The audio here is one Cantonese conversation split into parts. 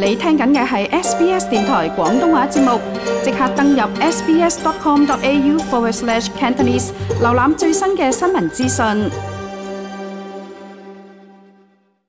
你聽緊嘅係 SBS 電台廣東話節目，即刻登入 sbs.com.au/Cantonese 瀏覽最新嘅新聞資訊。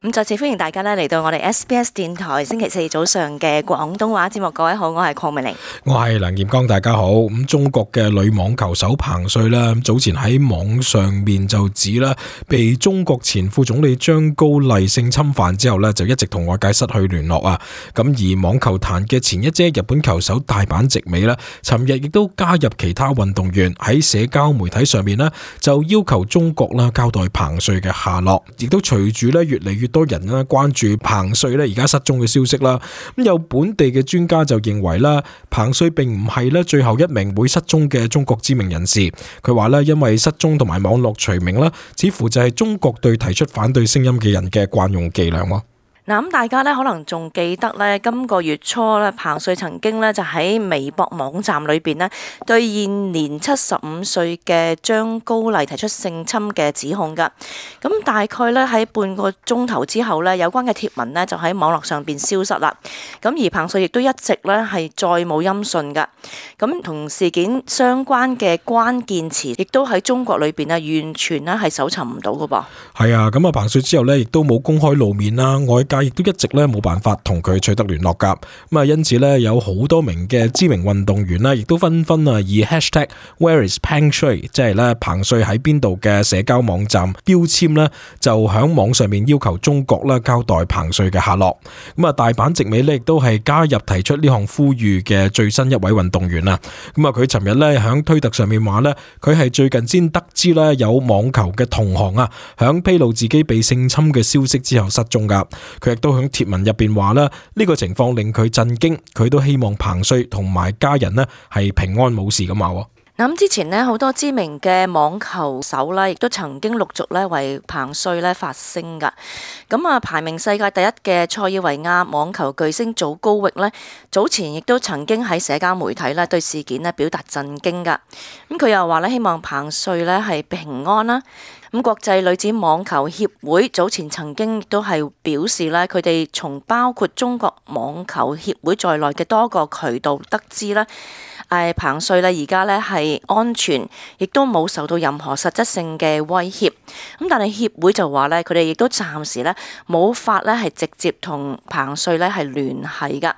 咁再次歡迎大家咧嚟到我哋 SBS 電台星期四早上嘅廣東話節目。各位好，我係鄺美玲，我係梁劍剛，大家好。咁中國嘅女網球手彭帥啦，早前喺網上面就指啦，被中國前副總理張高麗性侵犯之後呢，就一直同外界失去聯絡啊。咁而網球壇嘅前一姐日本球手大阪直美呢，尋日亦都加入其他運動員喺社交媒體上面呢，就要求中國啦交代彭帥嘅下落，亦都隨住呢越嚟越多人咧關注彭帥咧而家失蹤嘅消息啦。咁有本地嘅專家就認為啦，彭帥並唔係咧最後一名會失蹤嘅中國知名人士。佢話咧，因為失蹤同埋網絡除名啦，似乎就係中國對提出反對聲音嘅人嘅慣用伎倆。嗱，咁大家咧可能仲記得咧，今個月初咧，彭帥曾經咧就喺微博網站裏邊咧，對現年75歲嘅張高麗提出性侵嘅指控噶。咁大概咧喺半個鐘頭之後咧，有關嘅貼文咧就喺網絡上邊消失啦。咁而彭帥亦都一直咧係再冇音訊噶。咁同事件相關嘅關鍵詞，亦都喺中國裏邊啊，完全咧係搜尋唔到噶噃。係啊，咁啊彭帥之後咧，亦都冇公開露面啦，外界亦都一直咧冇辦法同佢取得聯絡噶。咁啊，因此咧有好多名嘅知名運動員啦，亦都紛紛啊以 #WhereIsPengshui 即係咧彭帥喺邊度嘅社交網站標籤咧，就響網上面要求中國啦交代彭帥嘅下落。咁啊，大阪直美咧亦都係加入提出呢項呼籲嘅最新一位運動員啊。咁啊，佢尋日咧響推特上面話咧，佢係最近先得知咧有網球嘅同行啊，響披露自己被性侵嘅消息之後失蹤噶。佢亦都響貼文入邊話啦，呢個情況令佢震驚，佢都希望彭帥同埋家人呢係平安冇事咁話。咁之前呢，好多知名嘅網球手啦，亦都曾經陸續咧為彭帥咧發聲噶。咁啊，排名世界第一嘅塞爾維亞網球巨星祖高域呢，早前亦都曾經喺社交媒體咧對事件咧表達震驚噶。咁佢又話咧，希望彭帥咧係平安啦。咁國際女子網球協會早前曾經亦都係表示咧，佢哋從包括中國網球協會在內嘅多個渠道得知咧，彭帥咧而家咧係安全，亦都冇受到任何實質性嘅威脅。咁但係協會就話咧，佢哋亦都暫時咧冇法咧係直接同彭帥咧係聯繫噶。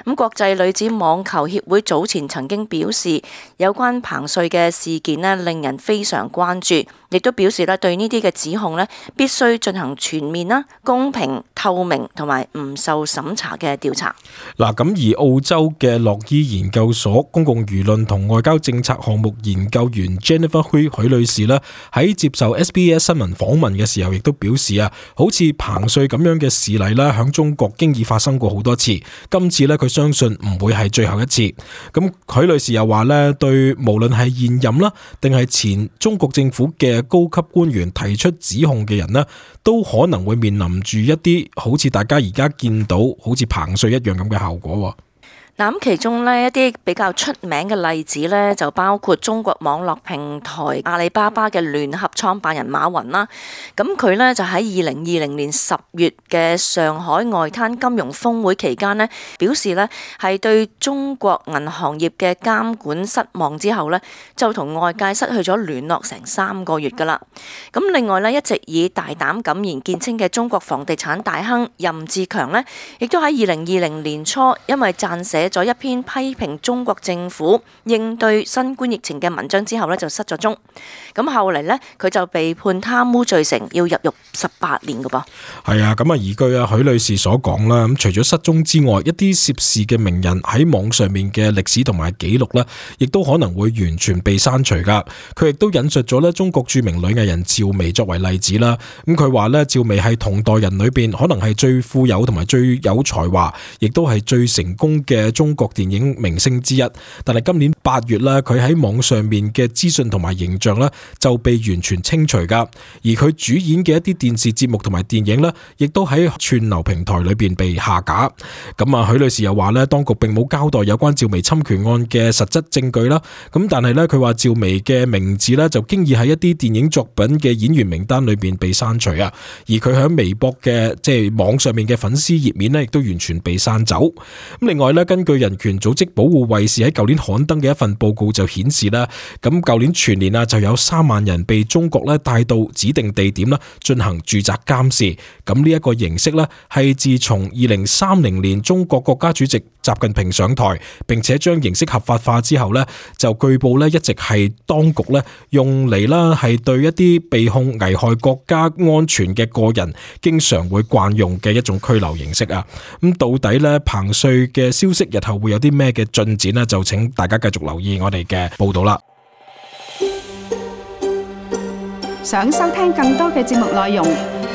咁國際女子網球協會早前曾經表示，有關彭帥嘅事件咧令人非常關注，亦都表示咧對呢啲嘅指控咧必須進行全面啦、公平、透明同埋唔受審查嘅調查。嗱，咁而澳洲嘅洛伊研究所公共輿論同外交政策項目研究員 Jennifer Hui 許女士咧喺接受 SBS 新聞訪問嘅時候，亦都表示啊，好似彭帥咁樣嘅事例啦，響中國經已發生過好多次，今次咧佢相信唔會係最後一次。咁許女士又話咧，對無論係現任啦，定係前中國政府嘅高級官員提出指控嘅人呢，都可能會面臨住一啲好似大家而家見到好似彭帥一樣咁嘅效果。嗱，咁其中呢一啲比較出名嘅例子呢，就包括中國網絡平台阿里巴巴嘅聯合創辦人馬雲啦。咁佢呢就喺2020年10月嘅上海外灘金融峰會期間呢，表示呢係對中國銀行業嘅監管失望之後呢，就同外界失去咗聯絡成3個月噶啦。咁另外呢，一直以大膽敢言見稱嘅中國房地產大亨任志強呢，亦都喺2020年初因為撰寫咗一篇批評中國政府應對新冠疫情嘅文章之後呢，就失咗蹤。咁後嚟呢，佢就被判貪污罪成，要入獄18年噶噃。係啊，咁啊，依據啊許女士所講啦，咁除咗失蹤之外，一啲涉事嘅名人喺網上面嘅歷史同埋記錄呢，亦都可能會完全被刪除噶。佢亦都引述咗呢中國著名女藝人趙薇作為例子啦。咁佢話呢，趙薇係同代人裏邊可能係最富有同埋最有才華，亦都係最成功嘅中國電影明星之一。但係今年8月啦，佢喺網上面嘅資訊同埋形象咧就被完全清除噶，而佢主演嘅一啲電視節目同埋電影咧，亦都喺串流平台裏邊被下架。咁啊，許女士又話咧，當局並冇交代有關趙薇侵權案嘅實質證據啦。咁但係咧，佢話趙薇嘅名字咧就經已喺一啲電影作品嘅演員名單裏邊被刪除啊，而佢喺微博嘅網上面嘅粉絲頁面咧，亦都完全被刪走。咁另外咧，根據人權組織保護衛士喺舊年刊登嘅一份報告就顯示啦，咁舊年全年啊就有3萬人被中國咧帶到指定地點啦進行住宅監視。咁呢一個形式咧係自從2030年中國國家主席習近平上台，並且將形式合法化之後咧，就據報咧一直係當局咧用嚟啦係對一啲被控危害國家安全嘅個人經常會慣用嘅一種拘留形式啊。咁到底咧彭帥嘅消息日後會有啲咩嘅進展呢？就請大家繼續留意我哋嘅報道啦。想收聽更多嘅節目內容，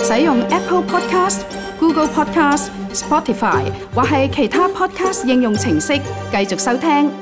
使用 Apple Podcast、Google Podcast、Spotify 或係其他 Podcast 應用程式繼續收聽。